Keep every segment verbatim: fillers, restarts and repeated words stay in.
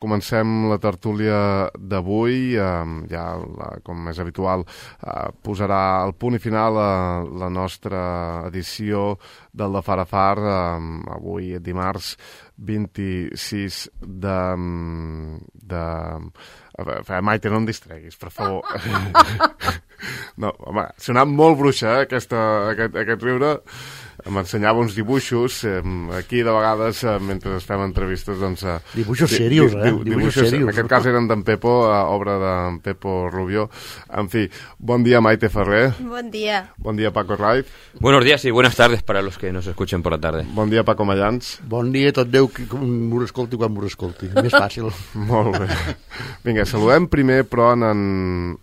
Comencem la tertúlia d'avui, eh, ja la, com és habitual, eh, posarà el punt i final a la nostra edició del de Far a Far, eh, avui dimarts vint-i-sis de... de... Maite, no em distreguis, per favor. No, home, ha sonat molt bruixa, eh, aquesta, aquest, aquest riure. M'ensenyava uns dibuixos, eh, aquí de vegades, eh, mentre fem entrevistes, doncs... Eh, dibuixos serios, eh? Dibuixos, dibuixos serios. En aquest cas eren d'en Pepo, eh, obra d'en Pepo Rubio. En fi, bon dia, Maite Ferrer. Bon dia. Bon dia, Paco Raiz. Buenos días y buenas tardes para los que nos escuchen por la tarde. Bon dia, Paco Mayans. Bon dia, tot Déu, que m'ho escolti quan m'ho escolti. Més fàcil. Molt bé. Vinga, saludem primer, però, en en,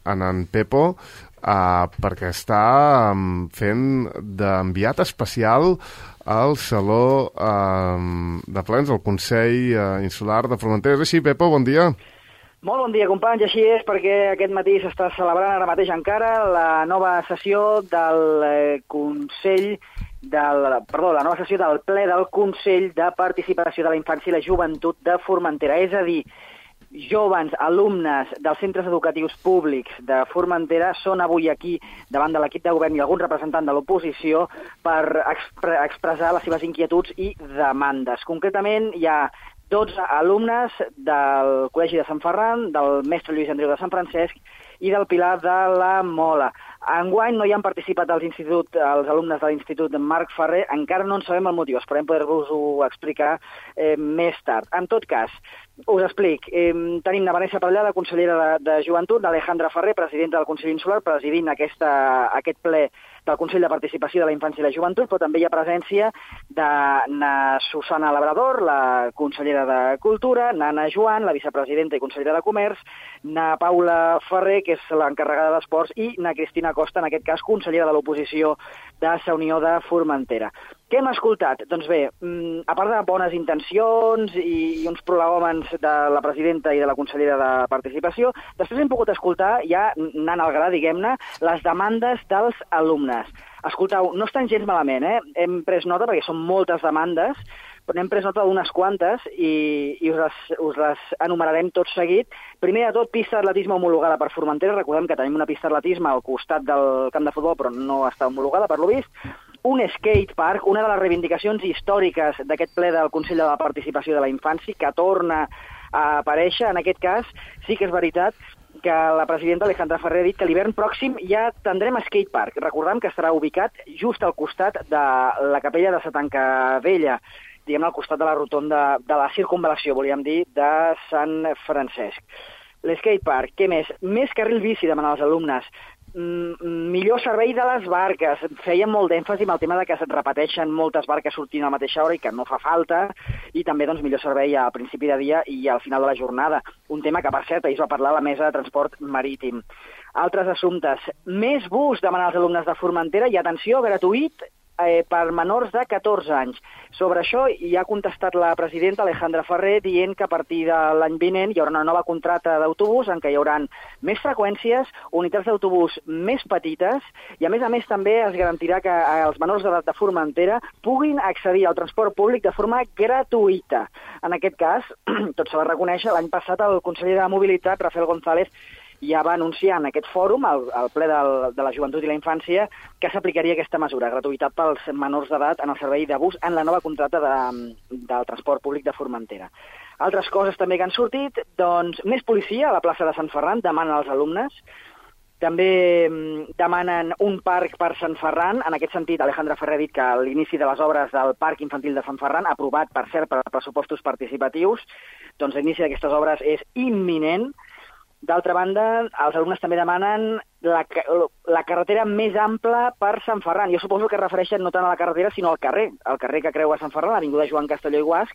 en, en Pepo, Uh, perquè està um, fent d'enviat especial al Saló um, de Plens, al Consell uh, Insular de Formentera. És així, Pepo? Bon dia. Molt bon dia, companys. Així és, perquè aquest matí s'està celebrant ara mateix encara la nova sessió del eh, Consell del, perdó, la nova sessió del ple del Consell de Participació de la Infància i la Joventut de Formentera. És a dir, joves, alumnes dels centres educatius públics de Formentera són avui aquí davant de l'equip de govern i algun representant de l'oposició per expre expressar les seves inquietuds i demandes. Concretament, hi ha dotze alumnes del Col·legi de Sant Ferran, del Mestre Lluís Andreu de Sant Francesc i del Pilar de la Mola. Enguany no hi han participat els, institut, els alumnes de l'Institut Marc Ferrer, encara no en sabem el motiu, esperem poder-vos-ho explicar eh, més tard. En tot cas, us explic, eh, tenim la Vanessa Parellada, consellera de, de Joventut, l'Alejandra Ferrer, presidenta del Consell Insular, presidint aquesta, aquest ple del Consell de Participació de la Infància i la Joventut, però també hi ha presència de na Susana Labrador, la consellera de Cultura, Nana Joan, la vicepresidenta i consellera de Comerç, na Paula Ferrer, que és l'encarregada d'Esports, i na Cristina Costa, en aquest cas, consellera de l'oposició de la Unió de Formentera. Què hem escoltat? Doncs bé, a part de bones intencions i uns prolegòmens de la presidenta i de la consellera de Participació, després hem pogut escoltar, ja anant al gra, diguem-ne, les demandes dels alumnes. Escoltau, no estan gens malament, eh? Hem pres nota, perquè són moltes demandes, però n'hem pres nota d'unes quantes i, i us, les, us les enumerarem tot seguit. Primer de tot, pista d'atletisme homologada per Formentera. Recordem que tenim una pista d'atletisme al costat del camp de futbol, però no està homologada, per lo vist. Un skate park, una de les reivindicacions històriques d'aquest ple del Consell de la Participació de la Infància, que torna a aparèixer. En aquest cas, sí que és veritat que la presidenta Alejandra Ferrer ha dit que l'hivern pròxim ja tindrem skate park. Recordem que estarà ubicat just al costat de la capella de Satancavella, diguem-ne al costat de la rotonda de la circunvalació, volíem dir, de Sant Francesc. L'skate park, què més? Més carril bici, demanen els alumnes. Mm, millor servei de les barques. Feien molt d'èmfasi amb el tema de que es repeteixen moltes barques sortint a la mateixa hora i que no fa falta, i també doncs, millor servei al principi de dia i al final de la jornada. Un tema que, per cert, ahir es va parlar a la mesa de transport marítim. Altres assumptes. Més bus, demanen els alumnes de Formentera, i atenció, gratuït eh, per menors de catorze anys. Sobre això hi ha contestat la presidenta Alejandra Ferrer dient que a partir de l'any vinent hi haurà una nova contracta d'autobús en què hi haurà més freqüències, unitats d'autobús més petites, i a més a més també es garantirà que els menors d'edat de Formentera puguin accedir al transport públic de forma gratuïta. En aquest cas, tot se va reconèixer, l'any passat el conseller de Mobilitat, Rafael González, ja va anunciar en aquest fòrum, al, al ple del, de la joventut i la infància, que s'aplicaria aquesta mesura, gratuïtat pels menors d'edat en el servei de bus en la nova contracta de, del transport públic de Formentera. Altres coses també que han sortit, doncs més policia a la plaça de Sant Ferran, demanen als alumnes. També demanen un parc per Sant Ferran. En aquest sentit, Alejandra Ferrer ha dit que l'inici de les obres del Parc Infantil de Sant Ferran, aprovat, per cert, per pressupostos participatius, doncs l'inici d'aquestes obres és imminent. D'altra banda, els alumnes també demanen la, la carretera més ampla per Sant Ferran. Jo suposo que es refereixen no tant a la carretera, sinó al carrer. El carrer que creua Sant Ferran, l'avinguda Joan Castelló i Guasc.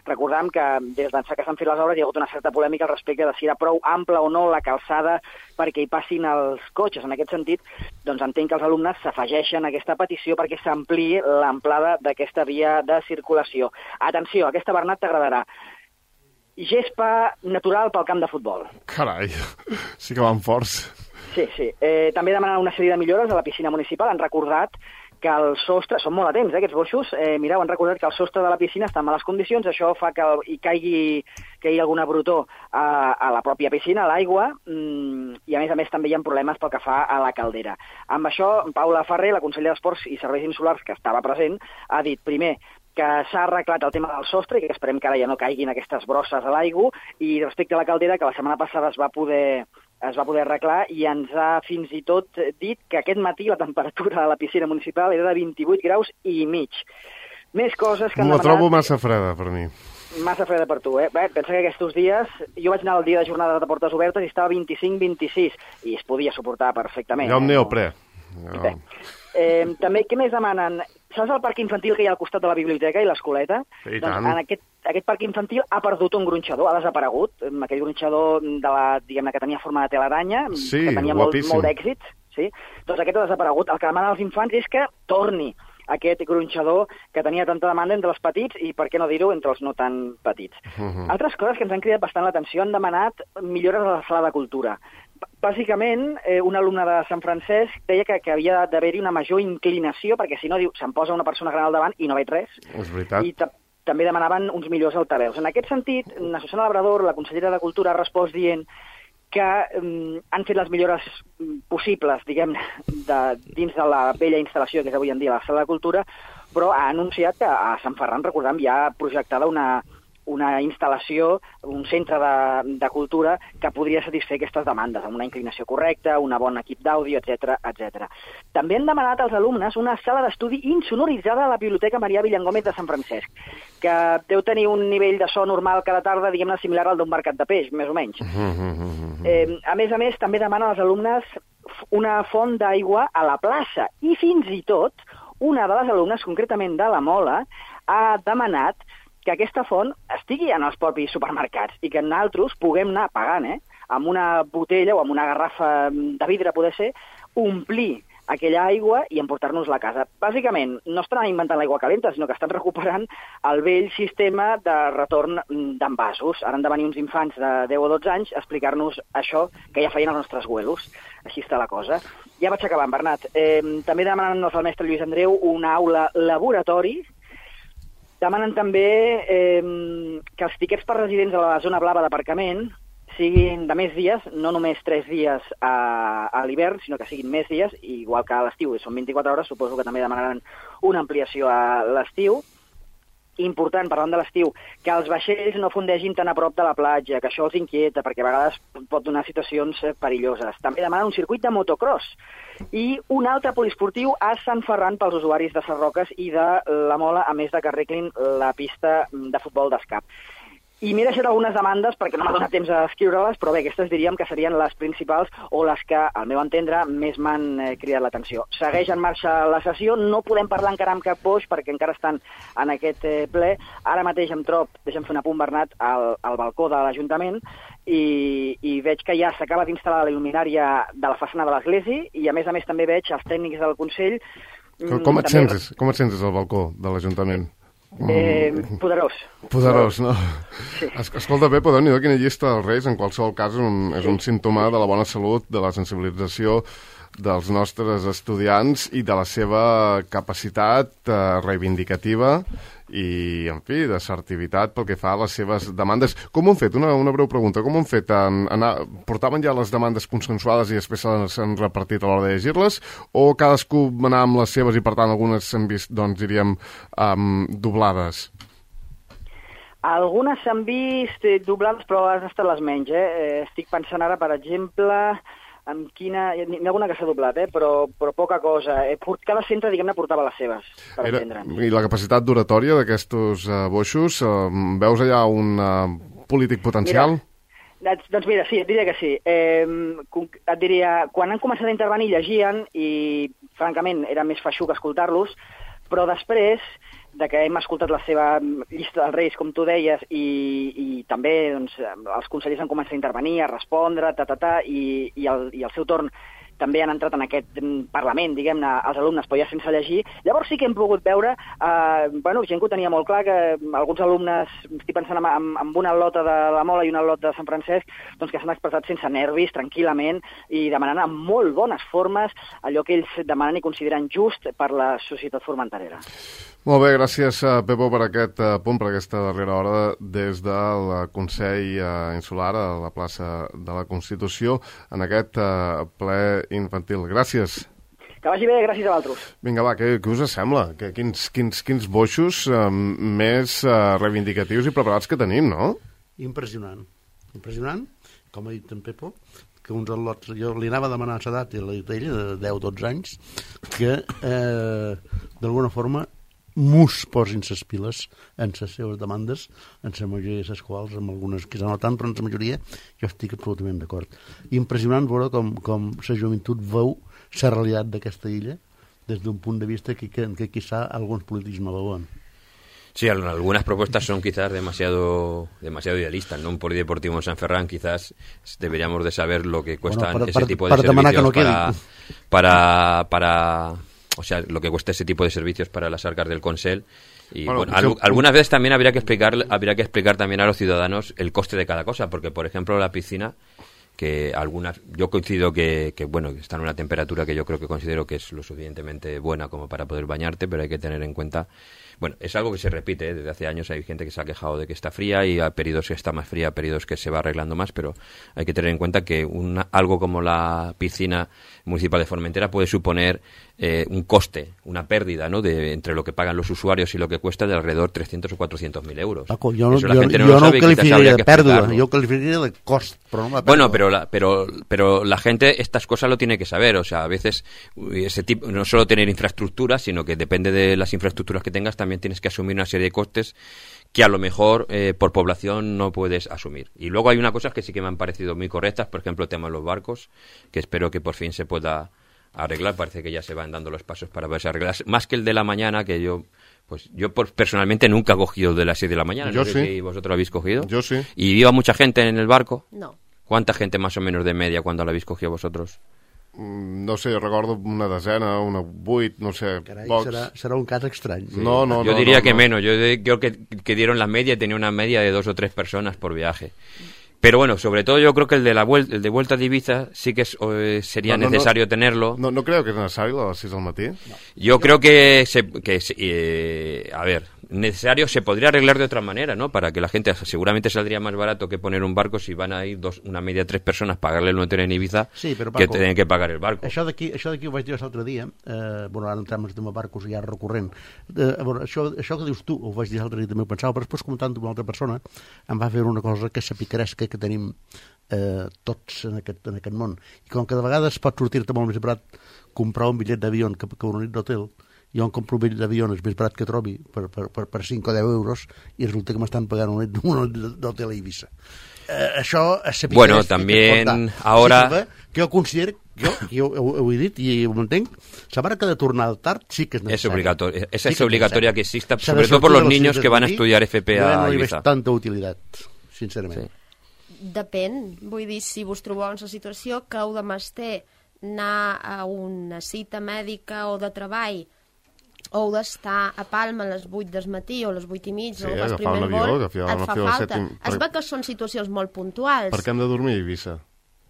Recordem que des d'ençà que s'han fet les obres hi ha hagut una certa polèmica al respecte de si era prou ampla o no la calçada perquè hi passin els cotxes. En aquest sentit, doncs entenc que els alumnes s'afegeixen a aquesta petició perquè s'ampliï l'amplada d'aquesta via de circulació. Atenció, aquesta, Bernat, t'agradarà. Gespa natural pel camp de futbol. Carai, sí que van forts. Sí, sí. Eh, també demanen una sèrie de millores a la piscina municipal. Han recordat que el sostre, són molt atents, eh, aquests boixos, eh, mireu, han recordat que el sostre de la piscina està en males condicions, això fa que el, hi caigui, que hi hagi alguna brutó a, a la pròpia piscina, a l'aigua, mmm, i a més a més també hi ha problemes pel que fa a la caldera. Amb això, Paula Ferrer, la consellera d'Esports i Serveis Insulars, que estava present, ha dit, primer, que s'ha arreglat el tema del sostre i que esperem que ara ja no caiguin aquestes brosses a l'aigua, i respecte a la caldera, que la setmana passada es va poder es va poder arreglar i ens ha fins i tot dit que aquest matí la temperatura a la piscina municipal era de vint-i-vuit graus i mig. Més coses que han demanat... La trobo massa freda per mi. Massa freda per tu, eh? Bé, pensa que aquests dies... Jo vaig anar el dia de jornada de portes obertes i estava vint-i-cinc vint-i-sis i es podia suportar perfectament. Jo amb eh? neoprè. Jo... Bé. Eh, també, què més demanen? Saps el parc infantil que hi ha al costat de la biblioteca i l'escoleta? I doncs tant. en aquest, aquest parc infantil ha perdut un gronxador, ha desaparegut, aquell gronxador de la, diguem-ne, que tenia forma de telaranya, sí, que tenia molt, guapíssim. molt d'èxit, sí? Doncs aquest ha desaparegut. El que demanen els infants és que torni aquest gronxador que tenia tanta demanda entre els petits i, per què no dir-ho, entre els no tan petits. Uh -huh. Altres coses que ens han cridat bastant l'atenció, han demanat millores a la sala de cultura. Bàsicament, eh, un alumne de Sant Francesc deia que, que havia d'haver-hi una major inclinació, perquè si no, diu, se'm posa una persona gran al davant i no veig res. És veritat. I també demanaven uns millors altaveus. En aquest sentit, la Susana Labrador, la consellera de Cultura, ha respost dient que um, han fet les millores possibles, diguem, de, dins de la vella instal·lació que és avui en dia la Sala de Cultura, però ha anunciat que a Sant Ferran, recordem, ja ha projectada una, una instal·lació, un centre de, de cultura que podria satisfer aquestes demandes, amb una inclinació correcta, un bon equip d'àudio, etcètera, etcètera. També han demanat als alumnes una sala d'estudi insonoritzada a la Biblioteca Marià Villangómez de Sant Francesc, que deu tenir un nivell de so normal cada tarda, diguem-ne, similar al d'un mercat de peix, més o menys. Eh, a més a més, també demanen als alumnes una font d'aigua a la plaça, i fins i tot una de les alumnes, concretament de la Mola, ha demanat que aquesta font estigui en els propis supermercats i que nosaltres puguem anar pagant, eh, amb una botella o amb una garrafa de vidre, poder ser, omplir aquella aigua i emportar-nos-la a casa. Bàsicament, no estan inventant l'aigua calenta, sinó que estan recuperant el vell sistema de retorn d'envasos. Ara han de venir uns infants de deu o dotze anys a explicar-nos això que ja feien els nostres abuelos. Així està la cosa. Ja vaig acabant, Bernat. Eh, també demanen al mestre Lluís Andreu una aula laboratori. Demanen també eh, que els tiquets per residents de la zona blava d'aparcament siguin de més dies, no només tres dies a, a l'hivern, sinó que siguin més dies, igual que a l'estiu, són vint-i-quatre hores, suposo que també demanaran una ampliació a l'estiu. Important, parlant de l'estiu, que els vaixells no fondegin tan a prop de la platja, que això els inquieta, perquè a vegades pot donar situacions perilloses. També demanen un circuit de motocross i un altre poliesportiu a Sant Ferran pels usuaris de Sarroques i de la Mola, a més de que arreglin la pista de futbol d'escap. I m'he deixat algunes demandes perquè no m'ha donat temps a escriure-les, però bé, aquestes diríem que serien les principals o les que, al meu entendre, més m'han eh, cridat l'atenció. Segueix en marxa la sessió, no podem parlar encara amb cap boix perquè encara estan en aquest eh, ple. Ara mateix em trob, deixa'm fer un apunt, Bernat, al, al balcó de l'Ajuntament i, i veig que ja s'acaba d'instal·lar la il·luminària de la façana de l'església i, a més a més, també veig els tècnics del Consell... Com, com, et, també... sents, com et sents al balcó de l'Ajuntament? Eh, poderós. Poderós, no? Sí. Escolta, bé, podeu dir quina llista dels Reis, en qualsevol cas, és un, és un símptoma de la bona salut, de la sensibilització dels nostres estudiants i de la seva capacitat eh, reivindicativa i, en fi, d'assertivitat pel que fa a les seves demandes. Com ho han fet? Una, una breu pregunta. Com ho han fet? En, anar, portaven ja les demandes consensuades i després s'han repartit a l'hora de llegir-les? O cadascú anar amb les seves i, per tant, algunes s'han vist, doncs, diríem, um, doblades? Algunes s'han vist doblades, però han estat les menys, eh? Estic pensant ara, per exemple... amb quina... N'hi ha alguna que s'ha doblat, eh? però, però poca cosa. Cada centre, diguem-ne, portava les seves, per Era... entendre'ns. I la capacitat d'oratòria d'aquests uh, boixos, uh, veus allà un uh, polític potencial? Mira, doncs mira, sí, et diria que sí. Eh, et diria, quan han començat a intervenir llegien i, francament, era més feixuc escoltar-los, però després de que hem escoltat la seva llista dels Reis, com tu deies, i, i també doncs, els consellers han començat a intervenir, a respondre, ta, ta, ta, i, i, el, i al seu torn també han entrat en aquest Parlament, diguem-ne, els alumnes, però ja sense llegir. Llavors sí que hem pogut veure, eh, bueno, gent que ho tenia molt clar, que alguns alumnes, estic pensant en, en, en una al·lota de la Mola i una al·lota de Sant Francesc, doncs que s'han expressat sense nervis, tranquil·lament, i demanant amb molt bones formes allò que ells demanen i consideren just per la societat formenterera. Molt bé, gràcies, Pepo, per aquest punt, per aquesta darrera hora des del Consell Insular a la plaça de la Constitució en aquest ple infantil. Gràcies. Que vagi bé, gràcies a vosaltres. Vinga, va, què, què us sembla? Que, quins, quins, quins boixos eh, més eh, reivindicatius i preparats que tenim, no? Impressionant. Impressionant, com ha dit en Pepo, que uns al·lots, jo li anava a demanar l'edat i la dit ella, de deu dotze anys, que eh, d'alguna forma mus posin ses piles en les seves demandes, en la majoria de les quals, amb algunes que no tant, però en la majoria jo estic absolutament d'acord. Impressionant veure com, com la joventut veu la realitat d'aquesta illa des d'un punt de vista que, que, que quizá alguns polítics no veuen. Sí, algunas propuestas son quizás demasiado demasiado idealistas, ¿no? Un polideportivo en San Ferran quizás deberíamos de saber lo que cuestan bueno, para, ese para, tipo de para servicios no para, para, para, o sea, lo que cuesta ese tipo de servicios para las arcas del Consell. Y bueno, bueno, al, algunas veces también habría que explicar habría que explicar también a los ciudadanos el coste de cada cosa, porque por ejemplo la piscina, que algunas, yo coincido que, que bueno, que está en una temperatura que yo creo que considero que es lo suficientemente buena como para poder bañarte, pero hay que tener en cuenta, bueno, es algo que se repite, ¿eh? Desde hace años hay gente que se ha quejado de que está fría y hay periodos que está más fría, periodos que se va arreglando más, pero hay que tener en cuenta que una, algo como la piscina municipal de Formentera puede suponer eh, un coste, una pérdida, ¿no? De, entre lo que pagan los usuarios y lo que cuesta de alrededor trescientos o cuatrocientos mil euros. Paco, yo no, Eso la yo, gente no, yo lo sabe, no calificaría de pérdida, yo calificaría de coste, pero no la pérdida. Bueno, pero la, pero, pero la gente estas cosas lo tiene que saber, o sea, a veces ese tipo, no solo tener infraestructura, sino que depende de las infraestructuras que tengas, también tienes que asumir una serie de costes que a lo mejor eh, por población no puedes asumir. Y luego hay una cosa que sí que me han parecido muy correctas, por ejemplo, el tema de los barcos, que espero que por fin se pueda arreglar. Parece que ya se van dando los pasos para poderse arreglar. Más que el de la mañana, que yo, pues yo por, personalmente nunca he cogido el de las seis de la mañana. Yo no sí. sé si vosotros lo habéis cogido. Yo sí. ¿Y iba mucha gente en el barco? No. ¿Cuánta gente más o menos de media cuando lo habéis cogido vosotros? No sé, recordo una desena, una vuit, no sé, Carai, pocs. serà, serà un cas estrany. Sí. No, no, yo no, diría no, que no. menos, yo de, creo que, que dieron la media y tenía una media de dos o tres personas por viaje. Pero bueno, sobre todo yo creo que el de la vuelta, el de vuelta de Ibiza sí que es, eh, sería no, no, necesario no, tenerlo. No, no creo que es necesario a las seis del matí. No. Yo creo que, se, que eh, a ver, necesario se podría arreglar de otra manera, ¿no? Para que la gente, seguramente saldría más barato que poner un barco si van a ir dos, una media tres personas pagarle el hotel en Ibiza, sí, però, que Paco, tienen que pagar el barco. Això d'aquí això d'aquí ho vaig dir l'altre dia, eh, bueno, ara entrem en el tema barcos ja recurrent. Eh, bueno, això, això que dius tu, ho vaig dir l'altre dia també ho pensava, però després comentant amb una altra persona em va fer una cosa que és la picaresca que tenim eh, tots en aquest, en aquest món. I com que de vegades pot sortir-te molt més barat comprar un bitllet d'avió que, que una nit d'hotel, jo em compro un bitllet d'avió és més barat que trobi per, per, per, per cinc o deu euros i resulta que m'estan pagant una nit, una nit d'hotel a Ibiza. Eh, això és la bueno, también ahora sí, que jo considero, jo, jo ho, ho he dit i ho entenc, la barca de tornar tard sí que és necessària. Es obligatoria, esa sí es obligatoria que exista, o sea, sobre todo por los niños que van a estudiar F P a no hi Ibiza. veig tanta utilitat, sincerament. Sí. Depèn, vull dir, si vos trobeu en la situació que heu de mester anar a una cita mèdica o de treball o heu d'estar a Palma a les vuit del matí o a les vuit i mig sí, o al primer avió, vol, et et fa falta. Es veu que són situacions molt puntuals. Per què hem de dormir a Ibiza?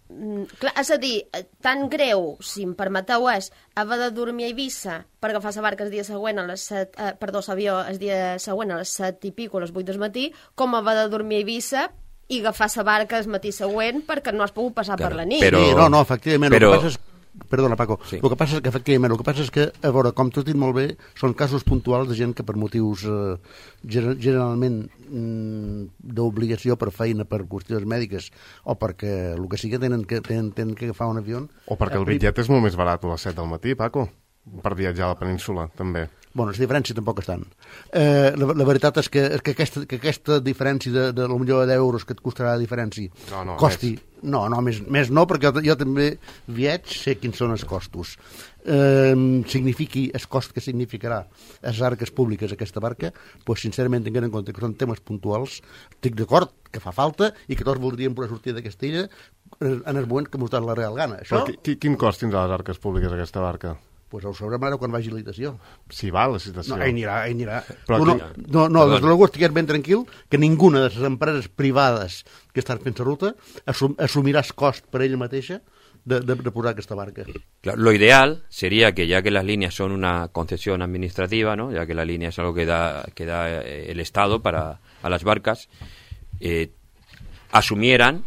Mm, clar, és a dir, tan greu, si em permeteu, és haver de dormir a Ibiza per agafar la barca el dia següent a les set, eh, perdó, l'avió el dia següent a les set i pico, a les vuit del matí, com haver de dormir a Ibiza i agafar la barca el matí següent perquè no has pogut passar claro, per la nit. Però, sí, no, no, efectivament, però... el que passa és Perdona, Paco, sí. el que passa és que, efectivament, el que passa és que, a veure, com tu has dit molt bé, són casos puntuals de gent que per motius eh, generalment mm, d'obligació per feina, per qüestions mèdiques, o perquè el que sigui tenen que, tenen, tenen que agafar un avió... O perquè el bitllet és molt més barat a les set del matí, Paco. per viatjar a la península, també. Bueno, les diferències tampoc estan. Eh, la, la veritat és que, és que, aquesta, que aquesta diferència de, de potser d'euros que et costarà la diferència no, no, costi... Més. No, no, més, més no, perquè jo, jo també viatge sé quins són els costos. Eh, signifiqui el cost que significarà les arques públiques aquesta barca, doncs sincerament tenint en compte que són temes puntuals, estic d'acord que fa falta i que tots voldríem poder sortir de Castella en el moment que mos dona la real gana. Això... Qui, quin cost tindrà les arques públiques aquesta barca? Pues ho sabrem ara quan vagi a licitació. Si va a la licitació. No, ell anirà, ell anirà. Però no, aquí... no, no, des de l'algú estigués ben tranquil que ninguna de les empreses privades que estan fent la ruta assum, assumirà el cost per ella mateixa de, de, de posar aquesta barca. Claro, lo ideal sería que ya que las líneas son una concesión administrativa, ¿no? Ya que la línea es algo que da, que da el Estado para a las barcas, eh, asumieran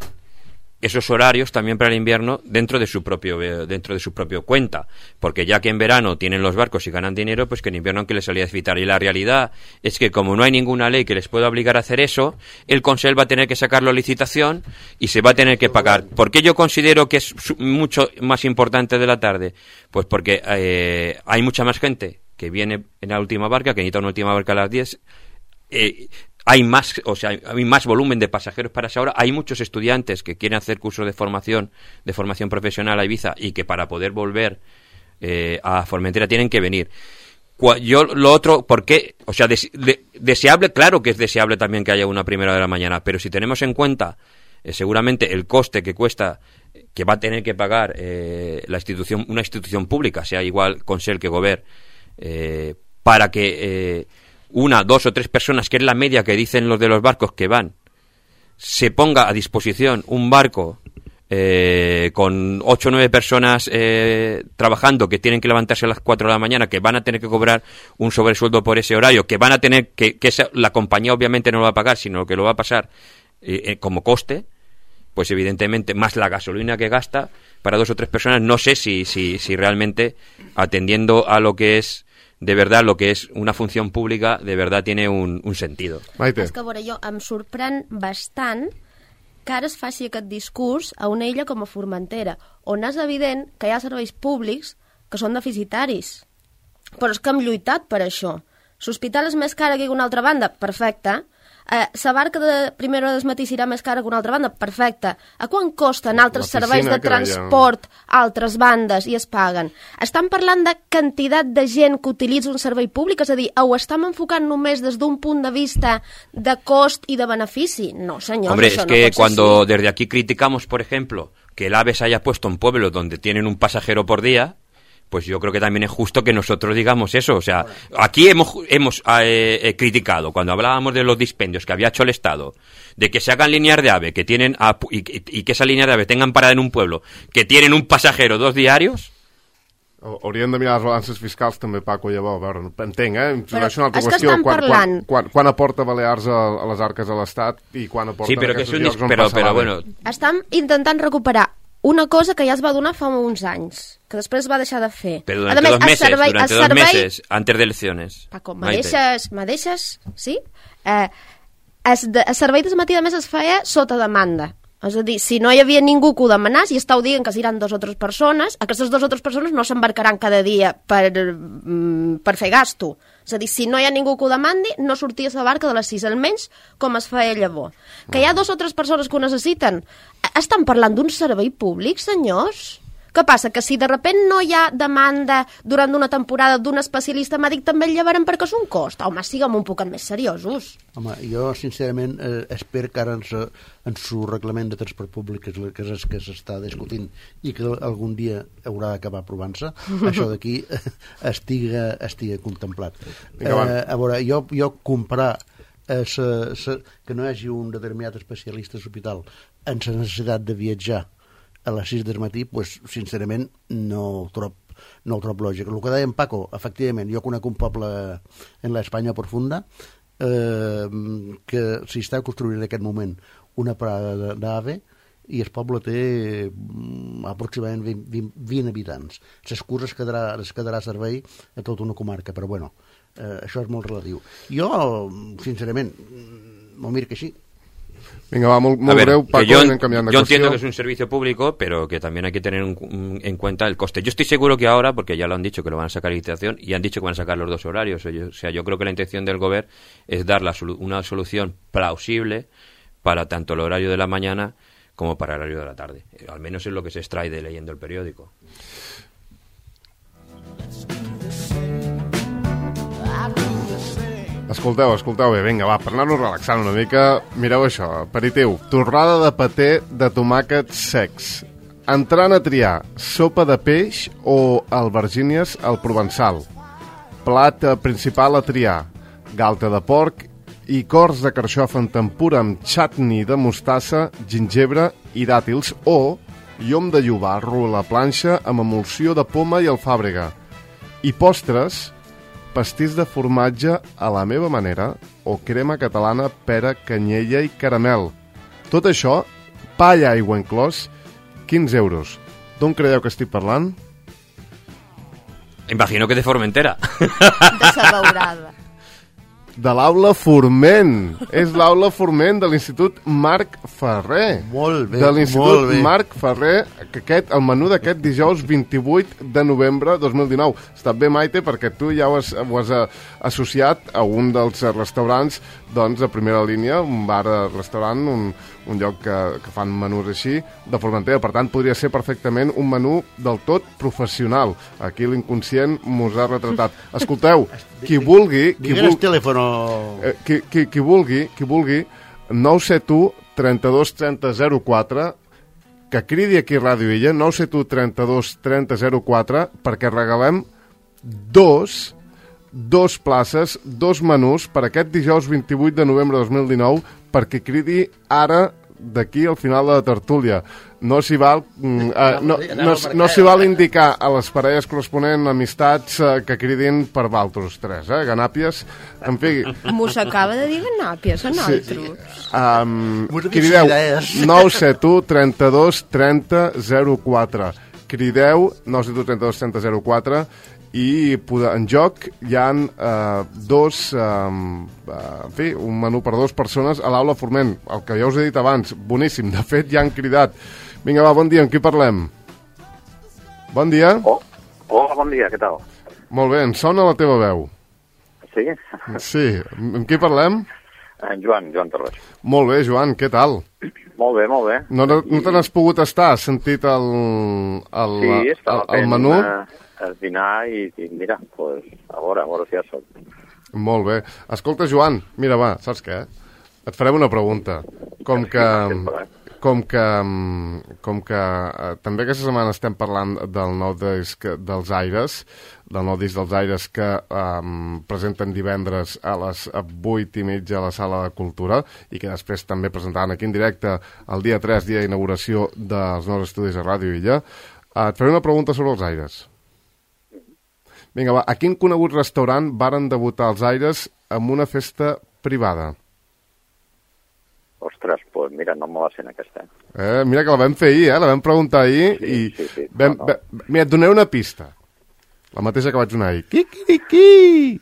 esos horarios también para el invierno dentro de su propio dentro de su propio cuenta, porque ya que en verano tienen los barcos y ganan dinero, pues que en invierno aunque les salía a desfitar. Y la realidad es que como no hay ninguna ley que les pueda obligar a hacer eso, el Consell va a tener que sacarlo a licitación y se va a tener que pagar. ¿Por qué yo considero que es mucho más importante de la tarde? Pues porque eh, hay mucha más gente que viene en la última barca, que necesita una última barca a las diez. Eh, hay más, o sea, hay más volumen de pasajeros para esa hora. Hay muchos estudiantes que quieren hacer cursos de formación, de formación profesional a Ibiza y que para poder volver eh, a Formentera tienen que venir. Yo lo otro, ¿por qué? O sea, des, de, deseable, claro que es deseable también que haya una primera de la mañana, pero si tenemos en cuenta eh, seguramente el coste que cuesta, que va a tener que pagar eh, la institución, una institución pública, sea igual Consell que Govern, eh, para que eh, una, dos o tres personas, que es la media que dicen los de los barcos que van, se ponga a disposición un barco eh, con ocho o nueve personas eh, trabajando, que tienen que levantarse a las cuatro de la mañana, que van a tener que cobrar un sobresueldo por ese horario, que van a tener que, que esa, la compañía obviamente no lo va a pagar, sino que lo va a pasar eh, eh, como coste, pues evidentemente más la gasolina que gasta para dos o tres personas. No sé si, si, si realmente, atendiendo a lo que es de verdad, lo que es una función pública, de verdad tiene un, un sentido. Maite. És que, a veure, jo em sorprèn bastant que ara es faci aquest discurs a una illa com a Formentera, on és evident que hi ha serveis públics que són deficitaris. Però és que hem lluitat per això. L'hospital és més cara que una altra banda? Perfecte. Eh, la barca de primera hora del matí serà més cara que una altra banda? Perfecte. A quan costen altres serveis de transport a altres bandes i es paguen? Estan parlant de quantitat de gent que utilitza un servei públic? És a dir, ho estem enfocant només des d'un punt de vista de cost i de benefici? No, senyors, Hombre, això es no que pot ser cuando així. desde aquí criticamos, por ejemplo, que el AVE se haya puesto en pueblos donde tienen un pasajero por día, pues yo creo que también es justo que nosotros digamos eso. O sea, aquí hemos, hemos eh, eh, criticado, cuando hablábamos de los dispendios que había hecho el Estado, de que se hagan líneas de AVE que tienen a, y, y que esa línea de AVE tengan parada en un pueblo, que tienen un pasajero dos diarios. Haurien de mirar les balances fiscals també, Paco, llavors. A veure, entenc, eh? Però és una altra és que qüestió. estan Quan, parlant... quan, quan, quan aporta Balears a, a les arques de l'Estat i quan aporten Sí, però que és aquests un llocs dis... on però, passa però, l'AVE. bueno, Estan intentant recuperar una cosa que ja es va donar fa uns anys, que després es va deixar de fer. pero durante a més, dos meses, el servei, durante el dos servei... meses, antes de elecciones. Paco, me Maite. deixes, me deixes, sí? Eh, es de, el servei de matí, a més, es feia sota demanda. És a dir, si no hi havia ningú que ho demanés i estàu dient que seran dues o tres persones, aquestes dues o tres persones no s'embarcaran cada dia per, mm, per fer gasto. És a dir, si no hi ha ningú que ho demandi, no sortia la barca de les sis, almenys com es feia llavors. Que hi ha dues o tres persones que ho necessiten. Estan parlant d'un servei públic, senyors? Què passa? Que si de repent no hi ha demanda durant una temporada d'un especialista mèdic, també el llevarem perquè és un cost? Home, siguem un poc més seriosos. Home, jo sincerament eh, espero que ara en su, en su reglament de transport públic, que és, que és que s'està discutint i que algun dia haurà d'acabar aprovant-se, això d'aquí eh, estiga, estiga contemplat. Vinga, eh, a veure, jo, jo comprar eh, sa, sa, que no hi hagi un determinat especialista a l'hospital en la necessitat de viatjar a les sis del matí, pues, sincerament, no ho trob, no ho trob lògic. El que deia en Paco, efectivament, jo conec un poble en l'Espanya profunda eh, que s'hi està construint en aquest moment una parada d'AVE i el poble té mm, aproximadament vint, vint, vint habitants. Les curses es quedarà, es quedarà servei a tota una comarca, però bueno, eh, això és molt relatiu. Jo, sincerament, m'ho miro que així. Venga, va, muy, muy ver, breu, Paco, yo, anem canviant de yo qüestió. entiendo que es un servicio público, pero que también hay que tener un, un, en cuenta el coste. Yo estoy seguro que ahora, porque ya lo han dicho que lo van a sacar a licitación y han dicho que van a sacar los dos horarios. O, yo, o sea, yo creo que la intención del gobierno es dar la solu una solución plausible para tanto el horario de la mañana como para el horario de la tarde. Eh, al menos es lo que se extrae de leyendo el periódico. Escolteu, escolteu bé, vinga, va, per anar-nos relaxant una mica, mireu això, aperitiu, torrada de paté de tomàquets secs, entrant a triar sopa de peix o albergínies al provençal, plat principal a triar, galta de porc i cors de carxofa en tempura amb chutney de mostassa, gingebre i dàtils o llom de llobarro a la planxa amb emulsió de poma i alfàbrega. I postres, pastís de formatge a la meva manera o crema catalana, pera, canyella i caramel. Tot això, pa i aigua inclòs, quinze euros. D'on creieu que estic parlant? Imagino que de Formentera. De Sabaurada. De l'aula Forment. És l'aula Forment de l'Institut Marc Ferrer. Molt bé, de molt l'Institut bé. Marc Ferrer, que aquest, el menú d'aquest dijous vint-i-vuit de novembre dos mil dinou. Està bé, Maite, perquè tu ja ho has, ho has associat a un dels restaurants doncs, de primera línia, un bar-restaurant, un, un lloc que, que fan menús així, de Formentera. Per tant, podria ser perfectament un menú del tot professional. Aquí l'inconscient mos ha retratat. Escolteu, qui vulgui... Qui Digues vulgui telèfon. eh, qui, qui, qui vulgui, qui vulgui, nou set u, trenta-dos, trenta, zero quatre, que cridi aquí a Ràdio Illa, nou set u, trenta-dos, trenta, zero quatre, perquè regalem dos... dos places, dos menús per aquest dijous vint-i-vuit de novembre de dos mil dinou perquè cridi ara d'aquí al final de la tertúlia. No s'hi val, eh, no, no, no s'hi val indicar a les parelles corresponents amistats eh, que cridin per valtros tres, eh? Ganàpies, en fi... M'ho s'acaba de dir Ganàpies, a nosaltres. Sí. Um, crideu nou set u, trenta-dos, trenta, zero quatre. Crideu nou set u, trenta-dos, trenta, zero quatre i en joc hi ha eh, dos, eh, en fi, un menú per dues persones a l'aula Forment, el que ja us he dit abans, boníssim, de fet ja han cridat. Vinga, va, bon dia, amb qui parlem? Bon dia. Oh, hola, bon dia, què tal? Molt bé, em sona la teva veu. Sí? Sí, amb qui parlem? En Joan, Joan Torres. Molt bé, Joan, què tal? Molt bé, molt bé. No, no, no te n'has pogut estar? Has sentit el, el, sí, estava el, el menú? Sí, el dinar i, i mira, pues, a veure, a veure si ja soc. Molt bé. Escolta, Joan, mira, va, saps què? Et farem una pregunta. Com que... Com que, com que eh, també aquesta setmana estem parlant del nou disc dels Aires, del nou disc dels Aires que eh, presenten divendres a les vuit i mitja a la Sala de Cultura i que després també presentaran aquí en directe el dia tres, dia d'inauguració dels nous estudis a Ràdio Illa, eh, et faré una pregunta sobre els Aires. Vinga, va, a quin conegut restaurant varen debutar els Aires amb una festa privada? Ostres, doncs pues mira, no me la sent aquesta. Eh, mira que la vam fer ahir, eh? La vam preguntar ahir sí, i... Sí, sí, vam, no, no. vam, mira, et donaré una pista. La mateixa que vaig donar ahir. Qui-qui-qui!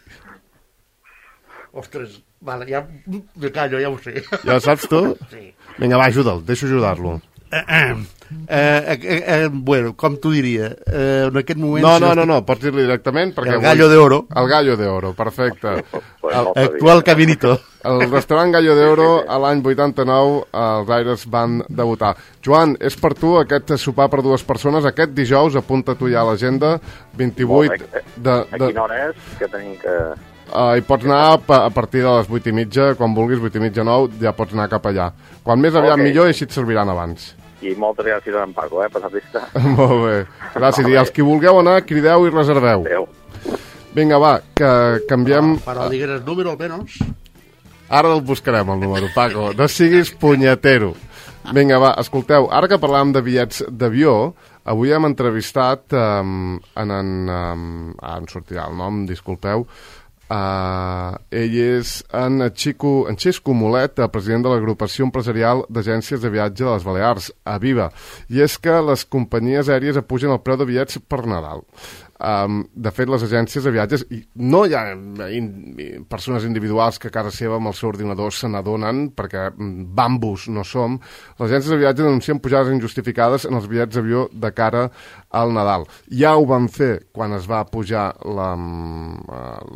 Ostres, vale, ja me callo, ja ho sé. Ja ho saps tu? Sí. Vinga, va, ajuda'l, deixo ajudar-lo. Eh, eh, eh, eh, eh, bueno, com t'ho diria? Eh, en aquest moment... No, no, no, no, pots dir-li directament perquè... El Gallo de Oro. El Gallo de Oro, perfecte. Pues el, no actual Caminito. El restaurant Gallo de Oro, a l'any vuitanta-nou, els Aires van debutar. Joan, és per tu aquest sopar per dues persones, aquest dijous, apunta tu ja a l'agenda, vint-i-vuit de... de... A quina hora és que tenim que... Uh, hi pots anar a partir de les vuit i mitja, quan vulguis, vuit i mitja, nou, ja pots anar cap allà. Quan més aviat okay. millor i així et serviran abans. I moltes gràcies a en Paco, eh, per la pista. Molt bé, gràcies. I els qui vulgueu anar, crideu i reserveu. Adéu. Vinga, va, que canviem... No, però digues el número almenys. Ara el buscarem, el número, Paco. No siguis punyetero. Vinga, va, escolteu, ara que parlàvem de bitllets d'avió, avui hem entrevistat um, en... en um, ah, em sortirà el nom, disculpeu. Uh, ell és en Xico, en Xisco Molet, president de l'agrupació empresarial d'agències de viatge de les Balears, Aviva. I és que les companyies aèries apugen el preu de bitllets per Nadal. Um, de fet, les agències de viatges, i no hi ha in, persones individuals que a casa seva amb el seu ordinador se n'adonen, perquè bambus no som, les agències de viatges denuncien pujades injustificades en els bitllets d'avió de cara al Nadal. Ja ho van fer quan es va pujar la,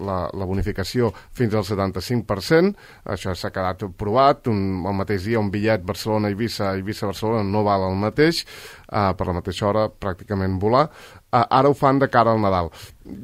la, la bonificació fins al setanta-cinc per cent, això s'ha quedat provat, un, el mateix dia un bitllet Barcelona-Eivissa, Eivissa-Barcelona no val el mateix, uh, per la mateixa hora pràcticament volar, uh, ara ho fan de cara al Nadal.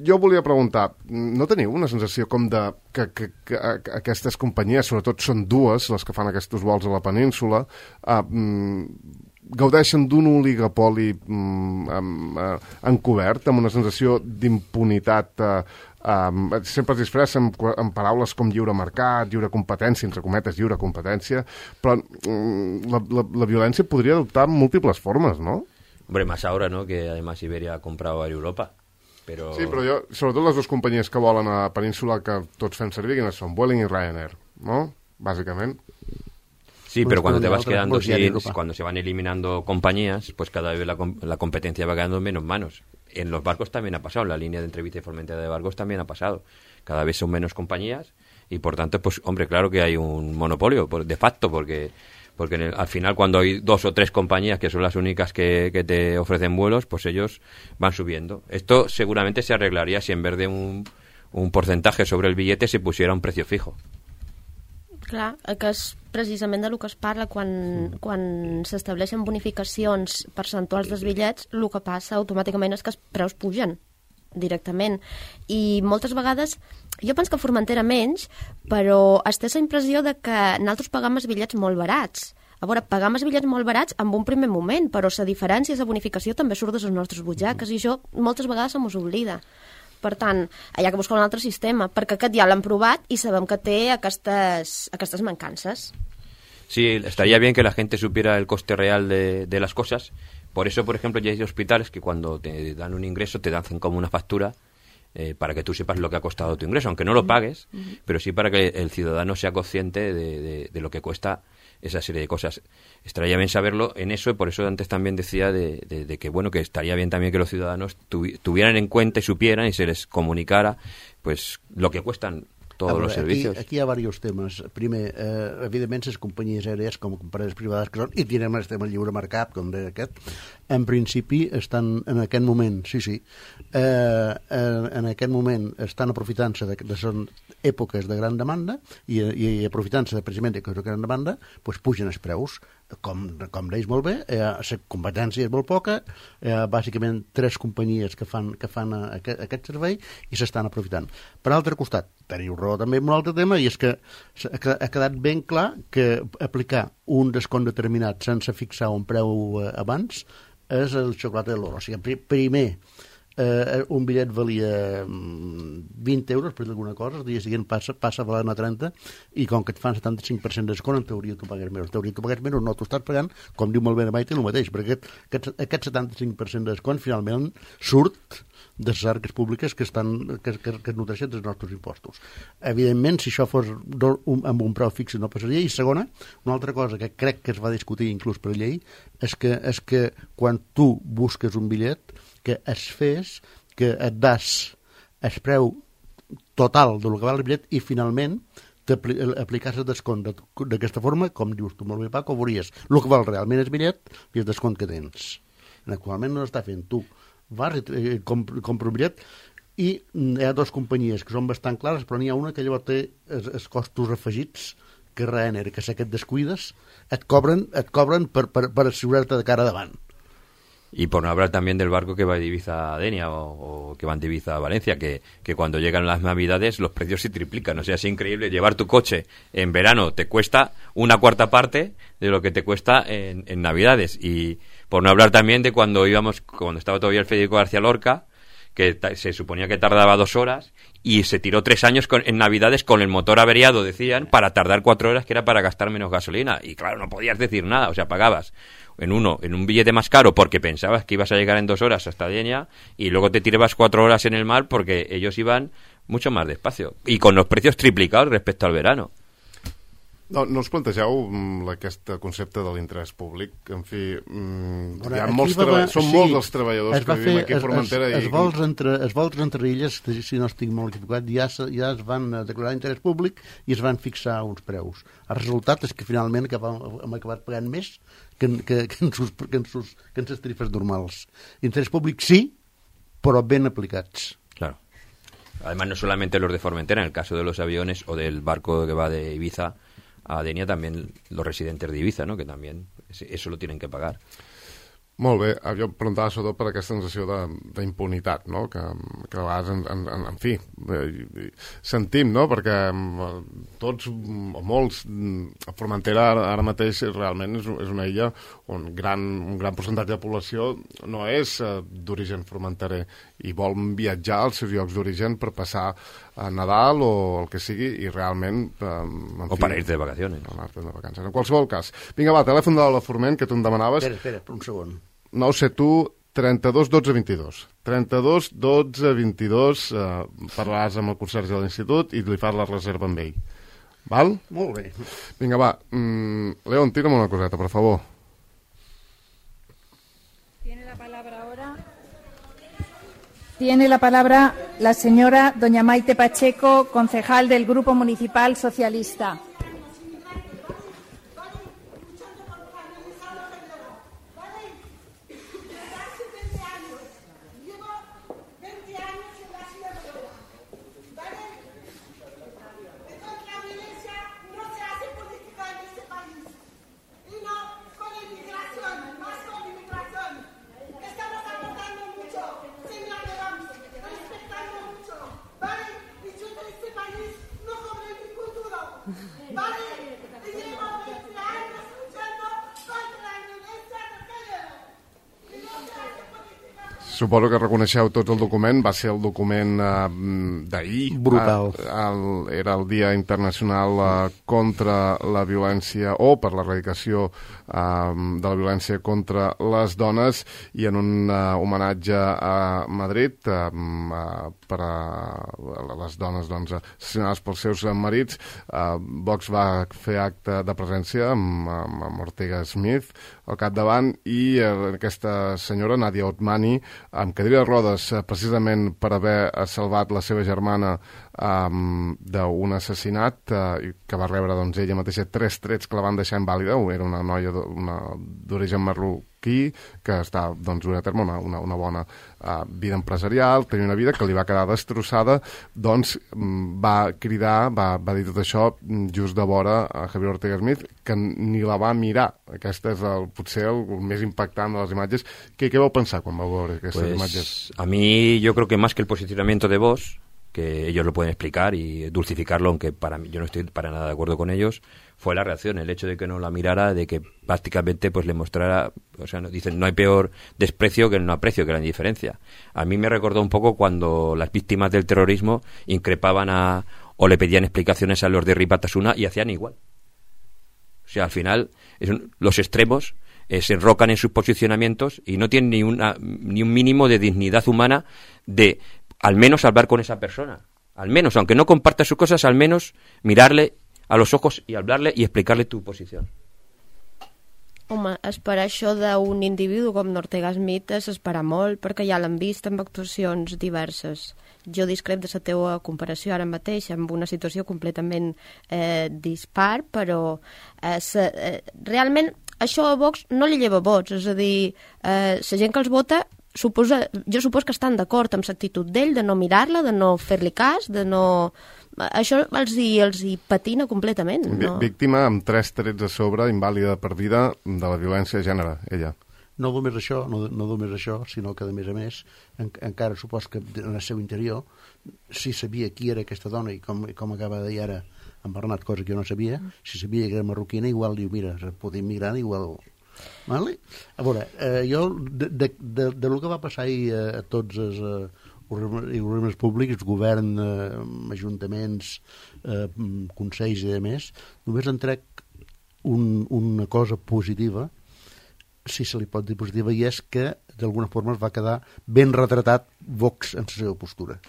Jo volia preguntar, no teniu una sensació com de que, que, que, que aquestes companyies, sobretot són dues les que fan aquests vols a la península, uh, mm, gaudeixen d'un oligopoli mm, uh, encobert, amb una sensació d'impunitat uh, Um, sempre es disfressa amb, amb paraules com lliure mercat, lliure competència, entre cometes, lliure competència, però um, la, la, la violència podria adoptar múltiples formes, ¿no? Hombre, más ahora, ¿no? Que además Iberia ha comprado Air Europa. Pero... Sí, però jo, sobretot les dues companyies que volen a la península que tots fem servir, quines són? Vueling i Ryanair, ¿no? Bàsicament. Sí, pero cuando te vas quedando sin, cuando se van eliminando compañías, pues cada vez la, la competencia va quedando en menos manos. En los barcos también ha pasado, en la línea de Entrevista y Formentera de barcos también ha pasado. Cada vez son menos compañías y por tanto, pues hombre, claro que hay un monopolio de facto, porque porque en el, al final cuando hay dos o tres compañías que son las únicas que, que te ofrecen vuelos, pues ellos van subiendo. Esto seguramente se arreglaría si en vez de un, un porcentaje sobre el billete se pusiera un precio fijo. Clar, que és precisament del que es parla quan, quan s'estableixen bonificacions percentuals dels bitllets, el que passa automàticament és que els preus pugen directament. I moltes vegades, jo penso que a Formentera menys, però es té la impressió de que nosaltres pagam els bitllets molt barats. A veure, pagam els bitllets molt barats en un primer moment, però la diferència, la bonificació també surt de les nostres butxaques i això moltes vegades se mos oblida. Per tant, hi ha que buscar un altre sistema, perquè aquest ja l'han provat i sabem que té aquestes, aquestes mancances. Sí, estaría bien que la gente supiera el coste real de, de las cosas. Por eso, por ejemplo, ya hay hospitales que cuando te dan un ingreso te dan como una factura eh, para que tú sepas lo que ha costado tu ingreso, aunque no lo pagues, uh-huh. pero sí para que el ciudadano sea consciente de, de, de lo que cuesta esa serie de cosas. Estaría bien saberlo en eso, y por eso antes también decía de, de, de que bueno, que estaría bien también que los ciudadanos tuvi, tuvieran en cuenta y supieran y se les comunicara pues lo que cuestan todos veure, los servicios. Aquí, aquí hi ha diversos temes. Primer, eh, evidentment, les companyies aèries com companyies privades que són, i tirem el tema lliure mercat, com deia aquest, en principi estan en aquest moment, sí, sí, eh, en aquest moment estan aprofitant-se de, de són èpoques de gran demanda i, i aprofitant-se de, precisament de gran demanda, doncs pugen els preus. Com, com deies molt bé, eh, la competència és molt poca, eh, bàsicament tres companyies que fan, que fan aquest, aquest servei i s'estan aprofitant. Per altre costat, teniu raó també en un altre tema, i és que ha quedat ben clar que aplicar un descompte determinat sense fixar un preu eh, abans és el xocolata de l'oro. O sigui, primer eh, un bitllet valia vint euros per dir alguna cosa, el dia següent passa, passa a valer trenta, i com que et fan setanta-cinc per cent de descont, en teoria tu pagues menys. En teoria tu pagues menys, no, tu estàs pagant, com diu molt bé Maite, el mateix, perquè aquest, aquest, aquest setanta-cinc per cent de descont finalment surt de les arques públiques que, estan, que, que, que es nodreixen dels nostres impostos. Evidentment, si això fos do, un, amb un preu fix no passaria. I segona, una altra cosa que crec que es va discutir inclús per llei, és que, és que quan tu busques un bitllet, que es fes, que et das el preu total del que val el bitllet i finalment t'apliques el descont d'aquesta forma, com dius tu molt bé, Paco, veuries el que val realment el bitllet i el descont que tens. Actualment no l'està fent tu. Vas i compra un bitllet i hi ha dues companyies que són bastant clares, però n'hi ha una que llavors té els, els costos afegits que Ryanair, que sé que et descuides, et cobren, et cobren per, per, per assegurar-te de cara davant. Y por no hablar también del barco que va de Ibiza a Denia o, o que van de Ibiza a Valencia, que, que cuando llegan las navidades los precios se triplican. O sea, es increíble. Llevar tu coche en verano te cuesta una cuarta parte de lo que te cuesta en, en navidades. Y por no hablar también de cuando íbamos, cuando estaba todavía el Federico García Lorca, que ta- se suponía que tardaba dos horas y se tiró tres años con, en navidades con el motor averiado, decían, para tardar cuatro horas, que era para gastar menos gasolina. Y claro, no podías decir nada. O sea, pagabas en uno, en un billete más caro porque pensabas que ibas a llegar en dos horas hasta Denia y luego te tirabas cuatro horas en el mar porque ellos iban mucho más despacio y con los precios triplicados respecto al verano. No, no us plantegeu mm, aquest concepte de l'interès públic? En fi, mm, Bueno, hi ha aquí molts va treba... haver- són sí, molts els treballadors es va que vivim fer- aquí a es- Formentera es, i... es, vols entre, es vols entre illes, si no estic molt equivocat, ja, se- ja es van eh, declarar interès públic i es van fixar uns preus. El resultat és que finalment que vam, hem acabat pagant més que, en- que, que, en sus, que, en sus, que en ses tarifes normals. Interès públic sí, però ben aplicats. Claro. Además, no solamente los de Formentera, en el caso de los aviones o del barco que va de Ibiza a Denia, también los residentes de Ibiza, ¿no? Que también eso lo tienen que pagar. Molt bé, jo em preguntava sobretot per aquesta sensació d'impunitat, no? que, que a vegades, en, en, en fi, eh, sentim, no? Perquè eh, tots, o molts, a Formentera ara, ara mateix realment és, és una illa on gran, un gran percentatge de població no és eh, d'origen formenterer i vol viatjar als seus llocs d'origen per passar a Nadal o el que sigui i realment... Eh, en o fi, para irte de vacaciones. O anar-te de vacances. En qualsevol cas. Vinga, va, telèfon de la Forment, que tu em demanaves. Espera, espera, per un segon. nou set u, trenta-dos, dotze, vint-i-dos. trenta-dos, dotze, vint-i-dos, eh, parlaràs amb el conserge de l'institut i li fas la reserva amb ell. Val? Molt bé. Vinga, va. Mm, León, tira'm una coseta, per favor. Tiene la palabra ahora. Tiene la palabra la señora doña Maite Pacheco, concejal del Grupo Municipal Socialista. Suposo que reconeixeu tots el document, va ser el document eh, d'ahir. Brutal. Eh, el, era el Dia Internacional eh, contra la violència o per l'erradicació eh, de la violència contra les dones i en un eh, homenatge a Madrid eh, eh, per a les dones doncs, assassinades pels seus marits. Eh, Vox va fer acte de presència amb, amb, amb Ortega Smith al capdavant i eh, aquesta senyora, Nadia Otmani, amb cadira de rodes, eh, precisament per haver salvat la seva germana um, d'un assassinat eh, que va rebre doncs, ella mateixa tres trets que la van deixar invàlida. Era una noia d'origen marroquí que està doncs, duent a terme una, una, una bona uh, vida empresarial, tenia una vida que li va quedar destrossada, doncs va cridar, va, va dir tot això just de vora a Javier Ortega Smith, que ni la va mirar. Aquesta és el, potser el, el més impactant de les imatges. Què, què vau pensar quan vau veure aquestes pues, imatges? A mí yo creo que más que el posicionamiento de Vox, que ellos lo pueden explicar y dulcificarlo, aunque para mí yo no estoy para nada de acuerdo con ellos, fue la reacción, el hecho de que no la mirara, de que prácticamente pues le mostrara, o sea, no, dicen, no hay peor desprecio que el no aprecio, que la indiferencia. A mí me recordó un poco cuando las víctimas del terrorismo increpaban a, o le pedían explicaciones a los de Ribatasuna y hacían igual. O sea, al final, es un, los extremos eh, se enrocan en sus posicionamientos y no tienen ni, una, ni un mínimo de dignidad humana de al menos hablar con esa persona. Al menos, aunque no comparta sus cosas, al menos mirarle a los ojos y hablarle y explicarle tu posición. Home, esperar això d'un individu com Ortega Smith és esperar molt, perquè ja l'hem vist amb actuacions diverses. Jo discrep de la teva comparació ara mateix amb una situació completament eh, dispar, però eh, se, eh, realment això a Vox no li lleva vots, és a dir, eh, la gent que els vota suposa, jo supos que estan d'acord amb l'actitud d'ell, de no mirar-la, de no fer-li cas, de no... Això els hi, els hi patina completament. No? Víctima amb tres trets a sobre, invàlida per vida, de la violència de gènere, ella. No només això, no, no només això, sinó que, a més a més, en, encara supos que en el seu interior, si sabia qui era aquesta dona, i com, com acaba de dir ara en Bernat, cosa que jo no sabia, si sabia que era marroquina, igual diu, mira, poder migrar, igual... Vale? A veure, eh, jo, de, de, de, de lo que va passar ahir a, a tots els... Eh, organismes públics, govern, eh, ajuntaments, eh, consells i demés, només en trec un, una cosa positiva, si se li pot dir positiva, i és que d'alguna forma es va quedar ben retratat Vox en la seva postura.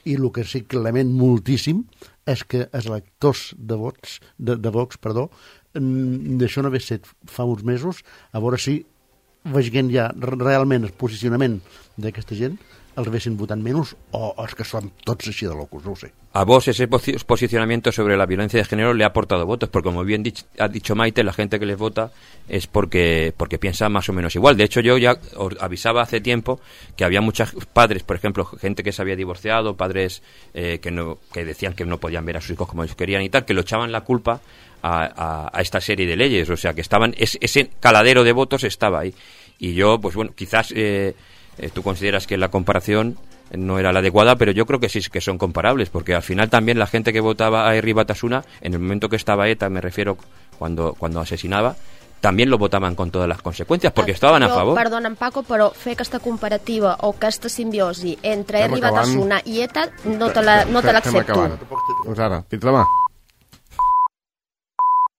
I el que sí que lament moltíssim és que els electors de vots, de, de Vox, perdó, d'això no haver set fa uns mesos, a veure si veient ja realment el posicionament d'aquesta gent, els vessin votant menys o els que són tots així de locos, no ho sé. A vos ese posicionamiento sobre la violencia de género le ha aportado votos, porque como bien dich, ha dicho Maite, la gente que les vota es porque porque piensa más o menos igual. De hecho, yo ya os avisaba hace tiempo que había muchos padres, por ejemplo, gente que se había divorciado, padres eh, que no que decían que no podían ver a sus hijos como ellos querían y tal, que lo echaban la culpa a, a, a esta serie de leyes, o sea, que estaban es, ese caladero de votos estaba ahí. Y yo, pues bueno, quizás eh, eh, tú consideras que la comparación no era la adecuada, pero yo creo que sí que son comparables, porque al final también la gente que votaba a Herri Batasuna, en el momento que estaba ETA, me refiero cuando, cuando asesinaba, también lo votaven con todas les conseqüències, perquè estaven a favor. Perdona'm, Paco, però fer aquesta comparativa o aquesta simbiosi entre Herri Batasuna i ETA no te l'accepto. Doncs ara, fins demà.